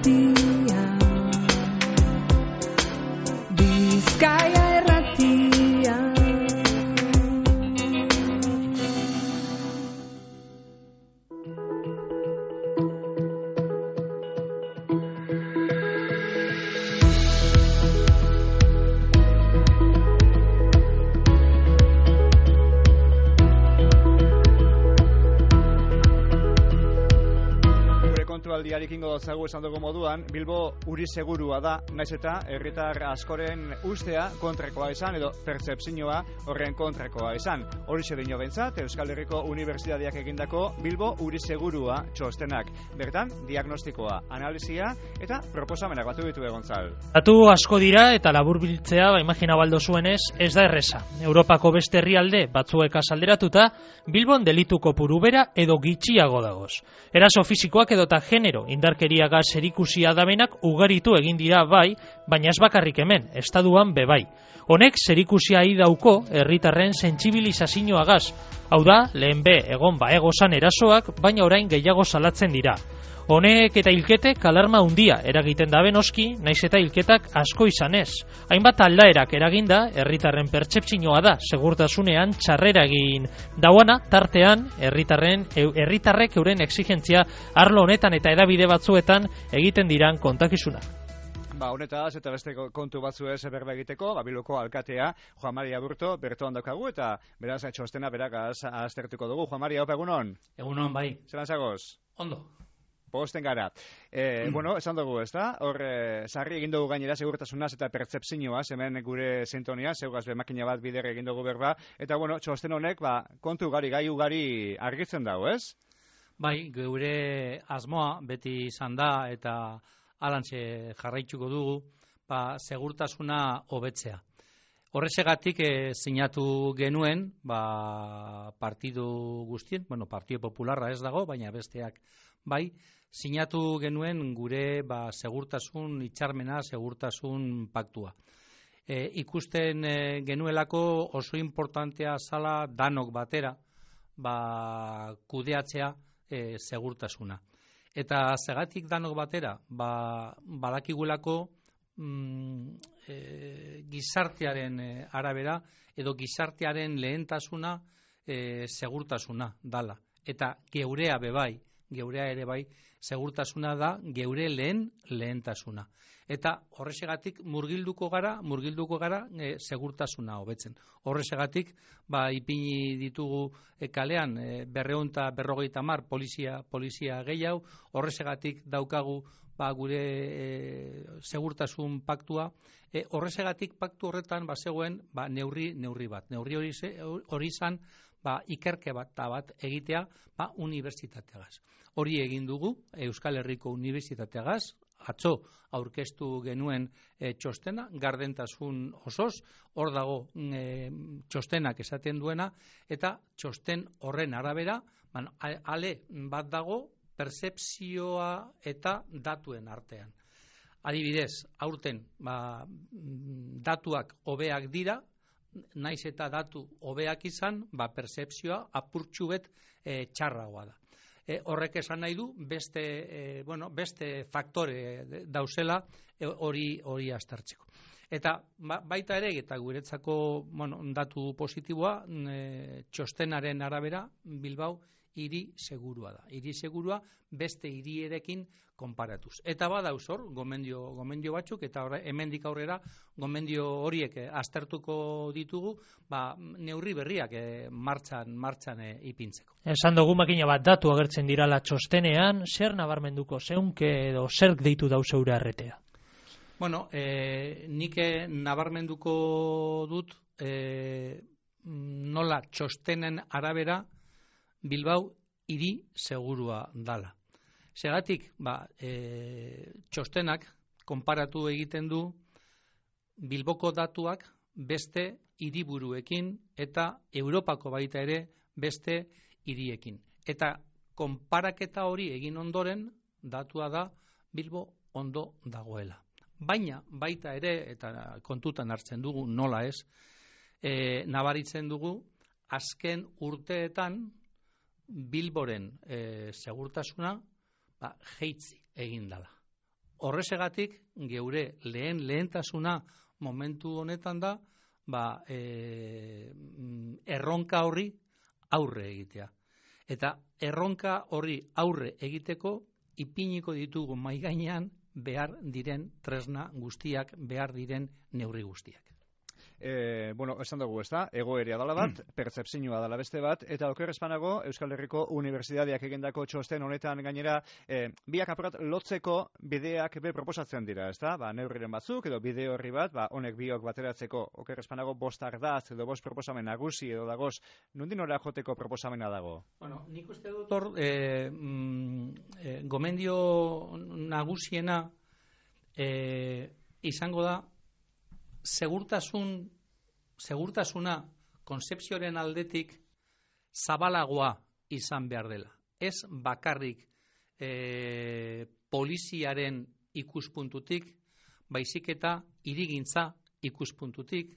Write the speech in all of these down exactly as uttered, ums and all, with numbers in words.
irratia, Bizkaia irratia. Aldiarekingo dotzagu esan dugu moduan, Bilbo uri segurua da, naiz eta herritar askoren ustea kontrakoa izan edo pertzepzioa horren kontrakoa izan. Horixe dino bentzat, Euskal Herriko Unibertsitateak egindako Bilbo uri segurua txostenak. Bertan, diagnostikoa, analizia eta proposamenak batu ditu Gontzal. Datu asko dira eta laburbiltzea, ba, imagina baldo zuenez, ez da erreza. Europako beste herrialde batzuek azalderatuta, Bilbon delitu kopuru bera edo gitxiago dagoz. Eraso fisikoak edota genero indarkeriaga zerikusia dabenak ugaritu egin dira bai, baina ez bakarrik hemen, estaduan bebai. Honek zerikusia dauko herritarren sentsibilizazioagaz. Hau da, lehen be egon ba egozan erasoak, baina orain gehiago salatzen dira. Honek eta hilketek alarma handia eragiten dabe noski, naiz eta hilketak asko izanez. Hainbat aldaerak eraginda, herritarren pertzepzioa da, segurtasunean txarrera egin dauana, tartean herritarren herritarrek euren exigentzia arlo honetan eta edabide batzuetan egiten diran kontakizuna. Ba, honetaz eta beste kontu batzu ez berba egiteko, ba, Bilboko alkatea Juan Mari Aburto bertoan daukagu eta beraz txostena berak aztertuko dugu. Juan Mari, haupa, egunon? Egunon, bai. Zeran zagoz? Ondo. Posten gara. E, mm. Bueno, esan dugu, ez da? Hor, e, sarri egin dugu gainera segurtasunaz eta pertzepzioaz, hemen gure sintonia, zeugaz be makina bat bider egin dugu berba, eta bueno, txosten honek, ba, kontu ugari, gai ugari argitzen dago, ez? Bai, gure asmoa beti izan da eta alantxe jarraituko dugu, ba, segurtasuna hobetzea. Horrexegatik e, sinatu genuen, ba, partidu guztien, bueno, Partido Popularra ez dago, baina besteak bai, sinatu genuen gure ba, segurtasun hitzarmena, segurtasun paktua. E, ikusten e, genuelako oso importantea zala danok batera ba, kudeatzea e, segurtasuna. Eta zegatik danok batera, ba, badakigulako mm, e, gizartearen e, arabera edo gizartearen lehentasuna e, segurtasuna dala. Eta geurea bebai, geurea ere bai, segurtasuna da geure lehen lehentasuna. Eta horrexegatik murgilduko gara, murgilduko gara e, segurtasuna hobetzen. Horrexegatik ba ipini ditugu e, kalean e, berrehun eta berrogeita hamar polizia polizia gehiago, horrexegatik daukagu ba gure e, segurtasun paktua. E, horrexegatik paktu horretan ba zegoen ba neurri neurri bat. Neurri hori hori izan ba ikerke bat ta bat egitea ba unibertsitateagaz. Hori egin dugu Euskal Herriko Unibertsitateagaz, atzo aurkeztu genuen e, txostena, gardentasun osoz, hor dago e, txostenak esaten duena, eta txosten horren arabera, man, ale bat dago pertzepzioa eta datuen artean. Adibidez, aurten ba, datuak hobeak dira, naiz eta datu hobeak izan, ba, pertzepzioa apurtxu bet e, txarragoa da. E, horrek esan nahi du beste e, bueno, beste faktore dauzela hori e, hori aztertzeko. Eta ba, baita ere eta guretzako bueno, datu positiboa e, txostenaren arabera Bilbao hiri segurua da. Hiri segurua beste hirierekin konparatuz. Eta badauz hor gomendio gomendio batzuk eta horre, hemendik aurrera gomendio horiek e, aztertuko ditugu, ba, neurri berriak e, martxan martxan e, ipintzeko. Esan dugu makina bat datu agertzen dirala txostenean, zer nabarmenduko zeunke edo zerk deitu dau zeure arretea? Bueno, e, nik nabarmenduko dut e, nola txostenen arabera Bilbao hiri segurua dala. Segatik, ba, e, txostenak konparatu egiten du Bilboko datuak beste hiriburuekin eta Europako baita ere beste hiriekin. Eta konparaketa hori egin ondoren datua da Bilbo ondo dagoela. Baina baita ere, eta kontutan hartzen dugu nola ez, e, nabaritzen dugu azken urteetan Bilboren e, segurtasuna ba, jeitzi egin dela. Horrezegatik, geure lehen lehentasuna momentu honetan da, ba, e, erronka horri aurre egitea. Eta erronka horri aurre egiteko ipiniko ditugu mahai gainean behar diren tresna guztiak, behar diren neurri guztiak. E, bueno, esan dugu, ez da, egoeria dala bat, pertzepzioa dala beste bat, eta oker espanago Euskal Herriko Unibertsitateak egindako txosten honetan gainera, e, biak apurat lotzeko bideak be proposatzen dira, ez da, ba, neurriren batzuk, edo bide horri bat, ba, honek biok bateratzeko, oker espanago bost ardaz, edo bost proposamen nagusi, edo dagoz, nundin ora joteko proposamena dago? Bueno, nik uste dut hor, e, mm, e, gomendio nagusiena e, izango da, segurtasun, segurtasuna konzepzioaren aldetik zabalagoa izan behar dela. Ez bakarrik e, poliziaren ikuspuntutik, baizik eta hirigintza ikuspuntutik,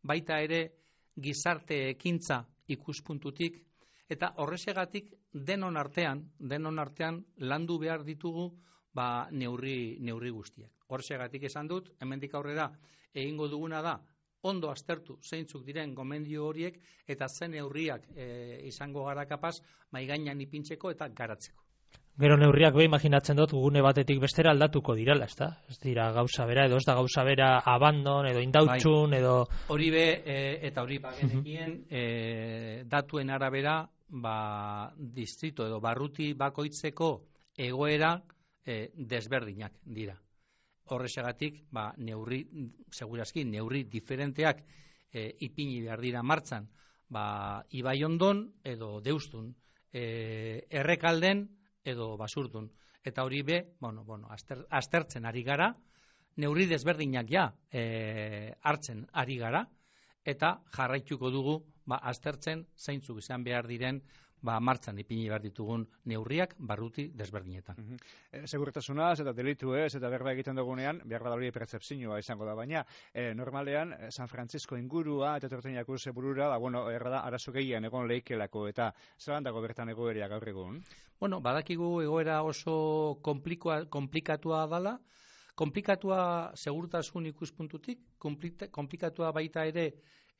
baita ere gizarte ekintza ikuspuntutik, eta horrezegatik denon artean, denon artean landu behar ditugu ba, neurri, neurri guztiak. Horrezegatik esan dut, hemendik aurrera egingo duguna da, ondo aztertu zeintzuk diren gomendio horiek eta zen neurriak e, izango gara kapaz maigainan ipintzeko eta garatzeko. Gero neurriak be imaginatzen dut gune batetik bestera aldatuko dirala, ezta? Ez dira gauza bera edo ez da gauza bera abandon edo indautxun bai. Edo hori be e, eta hori bagenekien e, datuen arabera ba distrito edo barruti bakoitzeko egoera e, desberdinak dira. Horrexegatik, ba, neurri, segurazki, neurri diferenteak e, ipini behar dira martzan, ba, Ibaiondon edo Deustun, e, Errekalden edo Basurdun. Eta hori be, bueno, bueno, aster, aztertzen ari gara, neurri desberdinak ja e, hartzen ari gara, eta jarraituko dugu, ba, aztertzen zeintzuk izan behar diren, ba, martzan ipini behar ditugun neurriak barruti desberdinetan. Uh -huh. e, Segurtasunaz eta delitu ez, eta berba egiten dugunean, behar da hori pertzepzioa izango da, baina e, normalean San Francisco ingurua eta torteinak urze burura, ba, bueno, erra da, arazo gehien egon leikelako, eta zelan dago bertan egoeria gaur egun? Bueno, badakigu egoera oso komplikatua dala, komplikatua segurtasun ikuspuntutik, komplikatua baita ere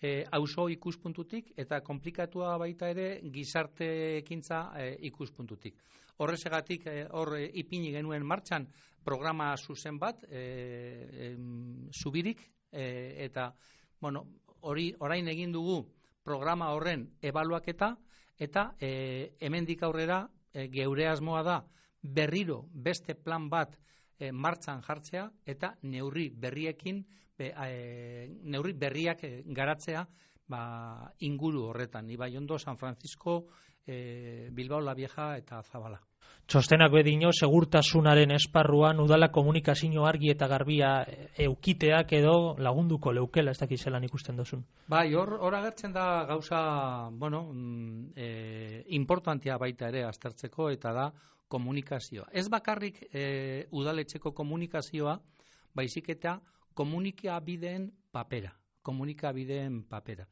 E, auzo ikuspuntutik eta komplikatua baita ere gizarte ekintza e, ikuspuntutik. Horrezegatik e, hor e, ipini genuen martxan programa zuzen bat, e, e, zubirik, e, eta bueno, hori orain egin dugu programa horren ebaluaketa, eta e, hemendik aurrera e, geure asmoa da berriro beste plan bat e, martxan jartzea eta neurri berriekin Be, e, neurri berriak e, garatzea ba, inguru horretan, Ibaiondo, San Francisco, e, Bilbao la Vieja eta Zabala. Txostenak bedino segurtasunaren esparruan udala komunikazio argi eta garbia eukiteak edo lagunduko leukela, ez dakiz zelan ikusten duzun. Bai, hor, hor agertzen da gauza, bueno, e, importantea baita ere aztertzeko, eta da komunikazioa. Ez bakarrik e, udaletxeko komunikazioa, baizik eta komunikabideen papera, komunikabideen papera.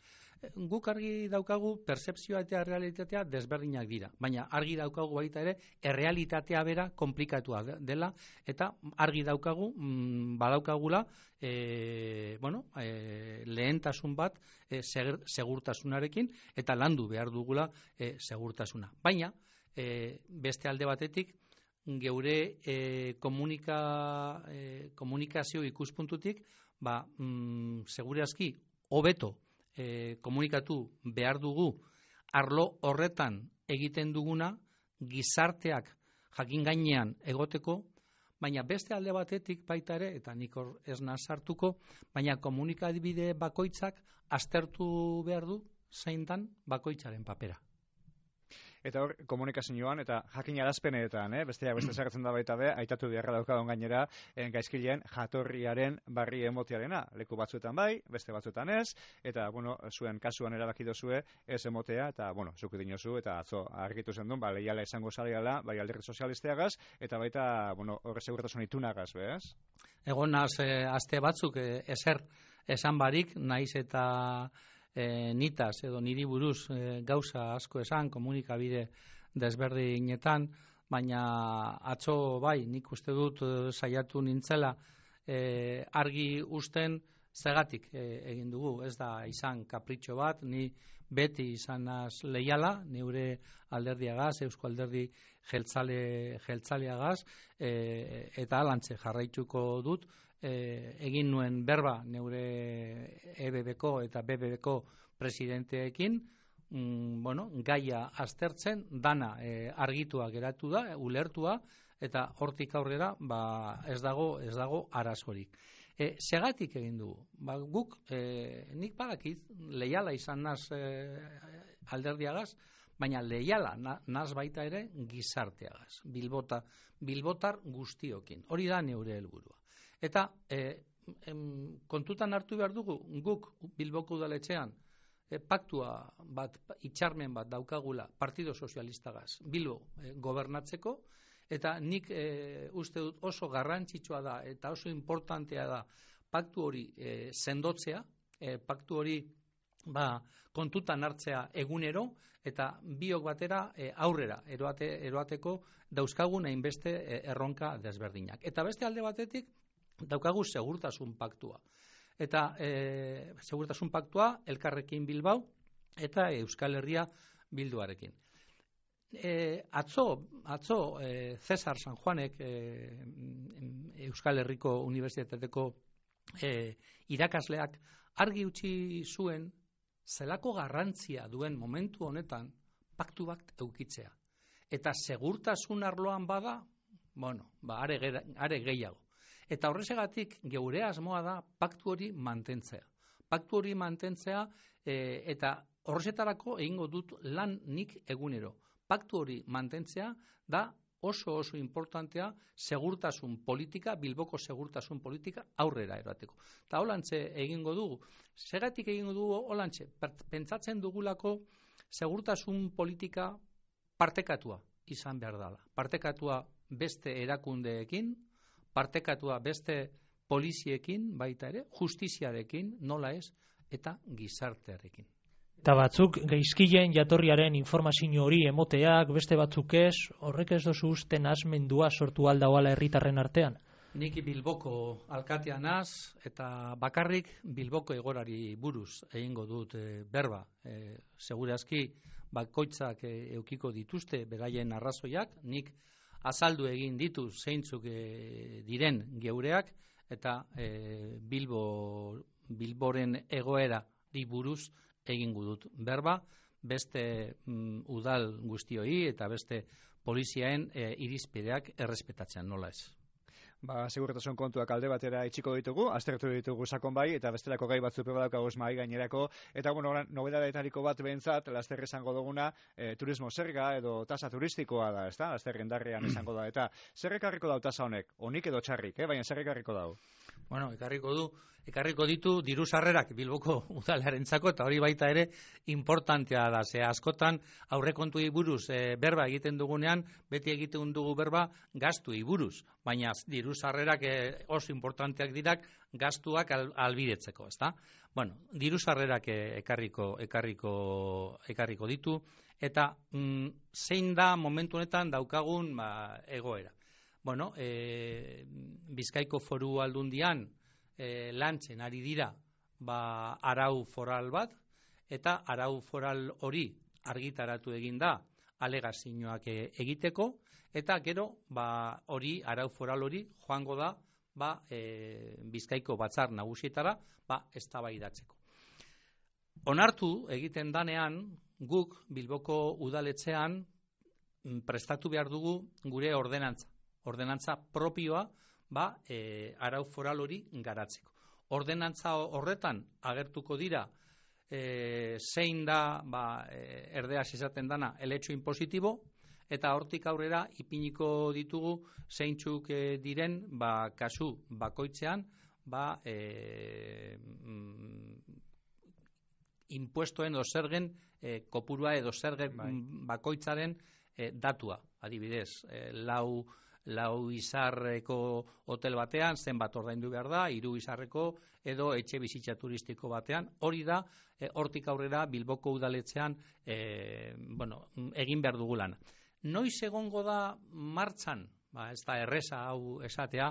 Guk argi daukagu pertzepzioa eta errealitatea desberdinak dira, baina argi daukagu baita ere errealitatea bera komplikatua dela, eta argi daukagu mm, badaukagula e, bueno, e, lehentasun bat e, segurtasunarekin eta landu behar dugula e, segurtasuna. Baina e, beste alde batetik geure e, komunika, e, komunikazio ikuspuntutik, ba, mm, segurazki, hobeto e, komunikatu behar dugu arlo horretan egiten duguna gizarteak jakin gainean egoteko, baina beste alde batetik baita ere, eta nik hor ez nazartuko, baina komunikabide bakoitzak aztertu behar du zein dan bakoitzaren papera. Eta hor, komunikazioan eta jakin arazpenetan, eh? besteak beste zerretzen da baita be, aitatu beharra daukadon gainera, en gaizkileen jatorriaren barri emotearena. Leku batzuetan bai, beste batzuetan ez, eta, bueno, zuen kasuan erabaki dozue ez emotea, eta, bueno, zuku dinozu, eta atzo argitu zen duen, ba, lehiala izango zareala, bai alderdi sozialisteagaz, eta baita, bueno, horre segurtasun itunagaz, bez? Egon naz, eh, aste batzuk, eh, ezer esan barik, naiz eta E, nitaz edo niri buruz e, gauza asko esan komunikabide desberdinetan, baina atzo bai, nik uste dut e, saiatu nintzela e, argi usten zegatik e, egin dugu, ez da izan kapritxo bat, ni beti izanaz leiala, neure alderdiagaz, Eusko Alderdi jeltzale, jeltzaleagaz, e, eta alantze jarraituko dut, e, egin nuen berba neure E B B-ko eta B B B-ko presidenteekin, mm, bueno, gaia aztertzen, dana e, argitua geratu da, ulertua, eta hortik aurrera ba, ez dago ez dago arazorik. E, segatik egin dugu. Ba, guk, e, nik badakit, leiala izan naz e, alderdiagaz, baina leiala na, naz baita ere gizarteagaz. Bilbota, bilbotar guztiokin. Hori da neure helburua. Eta e, em, kontutan hartu behar dugu, guk Bilboko udaletxean e, paktua bat, itxarmen bat daukagula Partido Sozialistagaz Bilbo e, gobernatzeko, eta nik e, uste dut oso garrantzitsua da eta oso importantea da paktu hori e, sendotzea, e, paktu hori ba, kontutan hartzea egunero, eta biok batera e, aurrera eroate, eroateko dauzkagun hainbeste e, erronka desberdinak. Eta beste alde batetik daukagu segurtasun paktua. Eta e, segurtasun paktua Elkarrekin Bilbao eta Euskal Herria Bilduarekin. E, atzo, atzo e, Cesar San Juanek e, Euskal Herriko Unibertsitateko e, irakasleak argi utzi zuen zelako garrantzia duen momentu honetan paktu bat eukitzea. Eta segurtasun arloan bada, bueno, ba, are, are gehiago. Eta horrezegatik geure asmoa da paktu hori mantentzea. Paktu hori mantentzea e, eta horrezetarako egingo dut lan nik egunero. Paktu hori mantentzea da oso oso importantea segurtasun politika, Bilboko segurtasun politika aurrera erateko. Eta holantze egingo dugu. Segatik egingo dugu holantze, pentsatzen dugulako segurtasun politika partekatua izan behar dela. Partekatua beste erakundeekin, partekatua beste poliziekin baita ere, justiziarekin, nola ez, eta gizartearekin. Eta batzuk gaizkileen jatorriaren informazio hori emoteak, beste batzuk ez, horrek ez dozu uste nahasmendua sortu aldagoala herritarren artean? Nik Bilboko alkatea naz, eta bakarrik Bilboko egorari buruz egingo dut e, berba. E, segurazki bakoitzak e, eukiko dituzte beraien arrazoiak, nik azaldu egin ditu zeintzuk e, diren geureak, eta e, Bilbo, Bilboren egoerari buruz egingo dut berba, beste mm, udal guztioi eta beste poliziaen e, irizpideak errespetatzen, nola ez. Ba, segurtasun kontuak alde batera itxiko ditugu, aztertu ditugu sakon bai, eta bestelako gai batzu proba daukagoz mahai gainerako, eta bueno, nobedadetariko bat behintzat, laster esango duguna, e, turismo zerga edo tasa turistikoa da, ezta? Laster indarrean esango da, eta zer ekarriko dau tasa honek? Onik edo txarrik, eh? Baina zer ekarriko dau? Bueno, ekarriko du, ekarriko ditu diru sarrerak Bilboko udalarentzako, eta hori baita ere importantea da, ze askotan aurrekontuei buruz e, berba egiten dugunean, beti egiten dugu berba gastuei buruz, baina diru sarrerak e, oso importanteak dirak gastuak al, albidetzeko, ezta? Bueno, diru sarrerak e, ekarriko, ekarriko, ekarriko ditu, eta mm, zein da momentu honetan daukagun ba, egoera. Bueno, e, Bizkaiko Foru Aldundian e, lantzen ari dira ba, arau foral bat, eta arau foral hori argitaratu egin da alegazioak e, egiteko, eta gero ba, hori arau foral hori joango da ba, e, Bizkaiko batzar nagusietara ba, eztabaidatzeko. Onartu egiten danean guk Bilboko udaletxean prestatu behar dugu gure ordenantza. Ordenantza propioa ba, e, arau foral hori garatzeko. Ordenantza horretan agertuko dira e, zein da ba, e, erdeaz izaten dana el hecho impositibo, eta hortik aurrera ipiniko ditugu zeintzuk e, diren ba, kasu bakoitzean ba, e, mm, impuestoen edo zergen e, kopurua edo zergen bai. bakoitzaren e, datua. Adibidez, e, lau lau izarreko hotel batean zenbat ordaindu behar da, hiru izarreko edo etxe bizitza turistiko batean, hori da, e, hortik aurrera Bilboko udaletxean e, bueno, egin behar dugu lana. Noiz egongo da martxan, ba, ez da erresa hau esatea,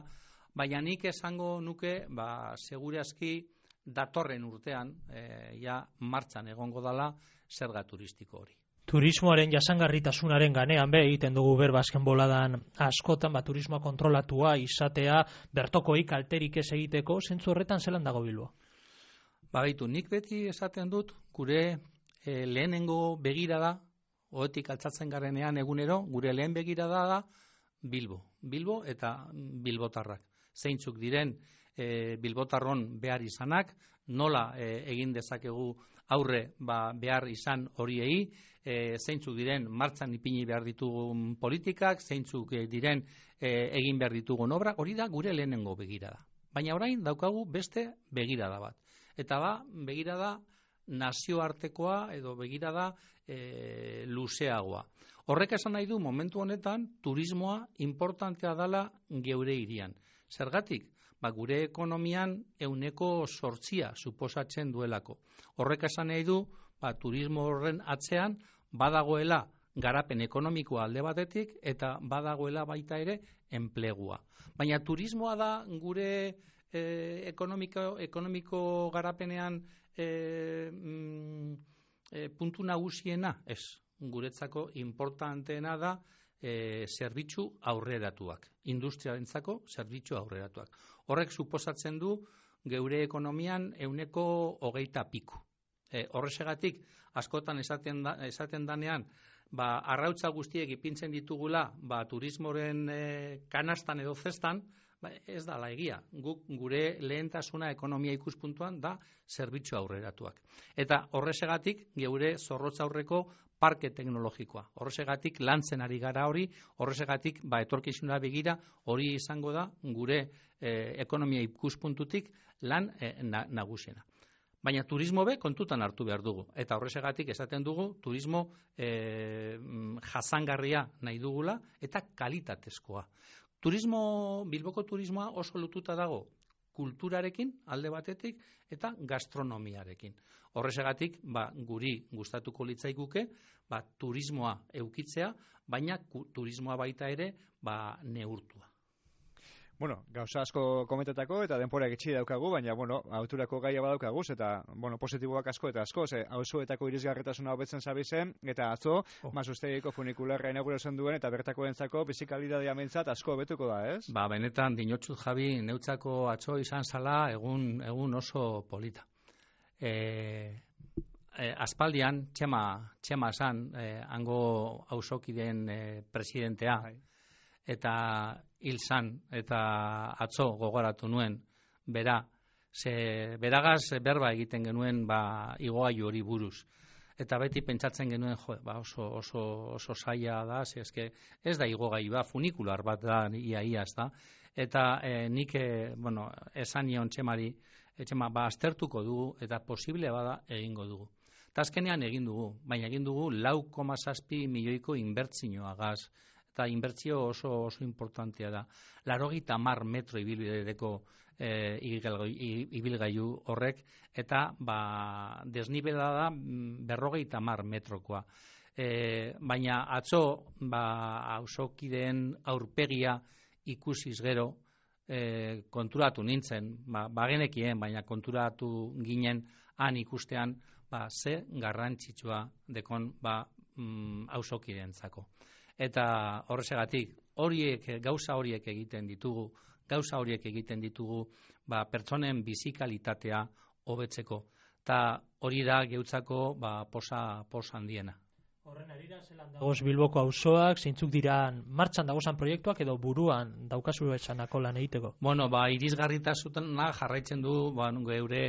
baina nik esango nuke, ba, segurazki datorren urtean, e, ja martxan egongo dala zerga turistiko hori. Turismoaren jasangarritasunaren ganean be egiten dugu berba azken boladan askotan, ba, turismoa kontrolatua izatea, bertokoi kalterik ez egiteko, zentzu horretan zelan dago Bilbo? Ba, gaitu, nik beti esaten dut, gure e, lehenengo begirada, oetik altzatzen garenean egunero, gure lehen begirada da Bilbo. Bilbo eta bilbotarrak. Zeintzuk diren e, bilbotarron behar izanak, nola e, egin dezakegu aurre ba, behar izan horiei, e, zeintzuk diren martxan ipini behar ditugun politikak, zeintzuk e, diren e, egin behar ditugun obra, hori da gure lehenengo begirada. Baina orain daukagu beste begirada bat. Eta ba, begirada nazioartekoa edo begirada e, luzeagoa. Horrek esan nahi du momentu honetan turismoa importantea dala geure hirian. Zergatik? Ba, gure ekonomian ehuneko zortzia suposatzen duelako. Horrek esan nahi du ba, turismo horren atzean badagoela garapen ekonomikoa alde batetik eta badagoela baita ere enplegua. Baina turismoa da gure eh, ekonomiko, ekonomiko garapenean eh, mm, eh, puntu nagusiena, ez. Guretzako importanteena da e, zerbitzu aurreratuak, industriarentzako zerbitzu aurreratuak. Horrek suposatzen du geure ekonomian ehuneko hogeita piku. E, horrezegatik, askotan esaten, da, esaten danean, ba, arrautza guztiek ipintzen ditugula ba, turismoren e, kanastan edo zestan, ba, ez da la egia. Guk gure lehentasuna ekonomia ikuspuntuan da zerbitzu aurreratuak. Eta horrezegatik, geure zorrotza aurreko parke teknologikoa. Horrezegatik lantzen ari gara hori, horrezegatik ba, etorkizuna begira hori izango da gure e, ekonomia ikuspuntutik lan e, na, nagusiena. Baina turismo be kontutan hartu behar dugu. Eta horrezegatik esaten dugu turismo e, jasangarria nahi dugula eta kalitatezkoa. Turismo, Bilboko turismoa oso lotuta dago kulturarekin alde batetik eta gastronomiarekin. Horrezegatik, ba, guri gustatuko litzaiguke, ba, turismoa eukitzea, baina turismoa baita ere ba, neurtua. Bueno, gauza asko komentetako eta denpora gitxi daukagu, baina, bueno, auturako gaia badaukaguz, eta, bueno, positiboak asko eta asko, ze auzoetako irisgarritasuna hobetzen zabizen, eta atzo, oh. Mazustegiko funikularra inauguratzen duen, eta bertako entzako bizikalitatea mentzat asko hobetuko da, ez? Ba, benetan, dinotsut Javi, neutzako atzo izan zala, egun, egun oso polita. E, e, aspaldian, txema, txema zan, e, hango auzokideen e, presidentea, Hai. Eta hil zan, eta atzo gogoratu nuen, bera, ze beragaz berba egiten genuen ba, igogailu hori buruz. Eta beti pentsatzen genuen, jo, ba, oso, oso, oso zaila da, ze eske ez da igogailu ba, funikular bat da, ia ia ez da. Eta e, nik, e, bueno, esan nion txemari, etxema, ba, aztertuko dugu, eta posible bada egingo dugu. Eta azkenean egin dugu, baina egin dugu lau koma zazpi milioiko inbertsioa gaz, eta inbertsio oso oso importantea da. Laurogeita hamar metro ibilbideko e, ibilgailu horrek, eta ba, desnibela da berrogeita hamar metrokoa. E, baina atzo ba, auzokideen aurpegia ikusiz gero e, konturatu nintzen, ba, bagenekien, baina konturatu ginen han ikustean ba, ze garrantzitsua dekon ba, mm, auzokideentzako. Eta horrezegatik, horiek, gauza horiek egiten ditugu, gauza horiek egiten ditugu, ba, pertsonen bizikalitatea hobetzeko. Eta hori da geutzako ba, posa, posa handiena. Horren arira, zelan dagoz Bilboko auzoak, zeintzuk diran martxan dagozan proiektuak edo buruan daukazu esanako lan egiteko? Bueno, ba, irisgarritasuna jarraitzen du ba, geure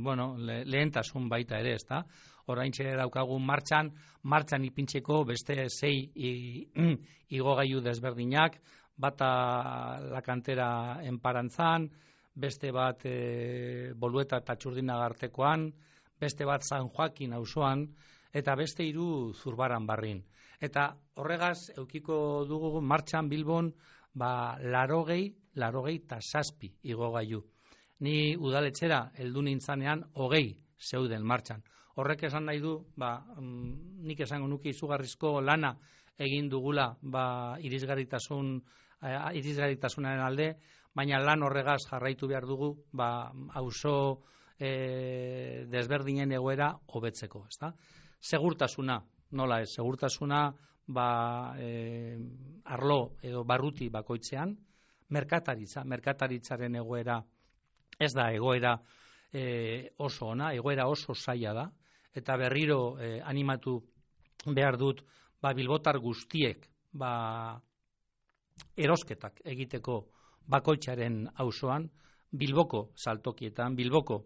bueno, le, lehentasun baita ere, ezta? Oraintxe daukagu martxan, martxan ipintzeko beste sei igogailu desberdinak, bata la kantera enparantzan, beste bat e, Bolueta eta Txurdinagartekoan, beste bat San Joakin auzoan, eta beste hiru Zurbaran barrin. Eta horregaz, eukiko dugu martxan Bilbon, ba, larogei, larogei eta zazpi igogailu. Ni udaletxera heldu nintzanean hogei zeuden martxan. Horrek esan nahi du, ba, nik esango nuke izugarrizko lana egin dugula ba, irisgarritasun, eh, irisgarritasunaren alde, baina lan horregaz jarraitu behar dugu ba, auzo eh, desberdinen egoera hobetzeko. Ezta? Segurtasuna, nola ez, segurtasuna ba, eh, arlo edo barruti bakoitzean, merkataritza, merkataritzaren egoera ez da egoera eh, oso ona, egoera oso zaila da, eta berriro eh, animatu behar dut ba, bilbotar guztiek ba, erosketak egiteko bakoitzaren auzoan, Bilboko saltokietan, Bilboko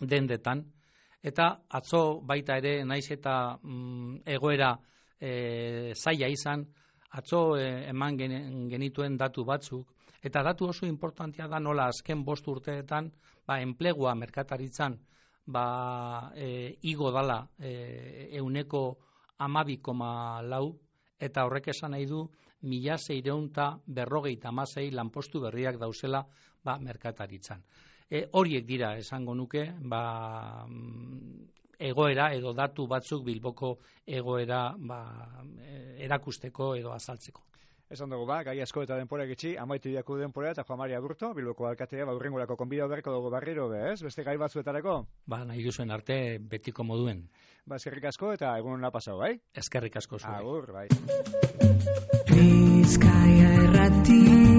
dendetan, eta atzo baita ere naiz eta mm, egoera e, zaila izan, atzo e, eman gen, genituen datu batzuk, eta datu oso importantea da nola azken bost urteetan ba, enplegua merkataritzan ba, e, igo dala e, euneko amabi koma lau, eta horrek esan nahi du mila seiehun eta berrogeita hamasei lanpostu berriak dauzela ba, merkataritzan. E, horiek dira esango nuke ba, egoera edo datu batzuk Bilboko egoera ba, erakusteko edo azaltzeko. Esan dugu ba, gai asko eta denporak itxi, amaitu diaku denpora eta Juan Mari Aburto, Bilboko alkatea, ba, urrengorako konbidau berko dugu barriro, ez? Beste gai batzuetarako? Ba, nahi duzuen arte betiko moduen. Ba, eskerrik asko eta egun hona pasau, bai? Eskerrik asko zuei. Agur, bai. Bizkaia Irratia.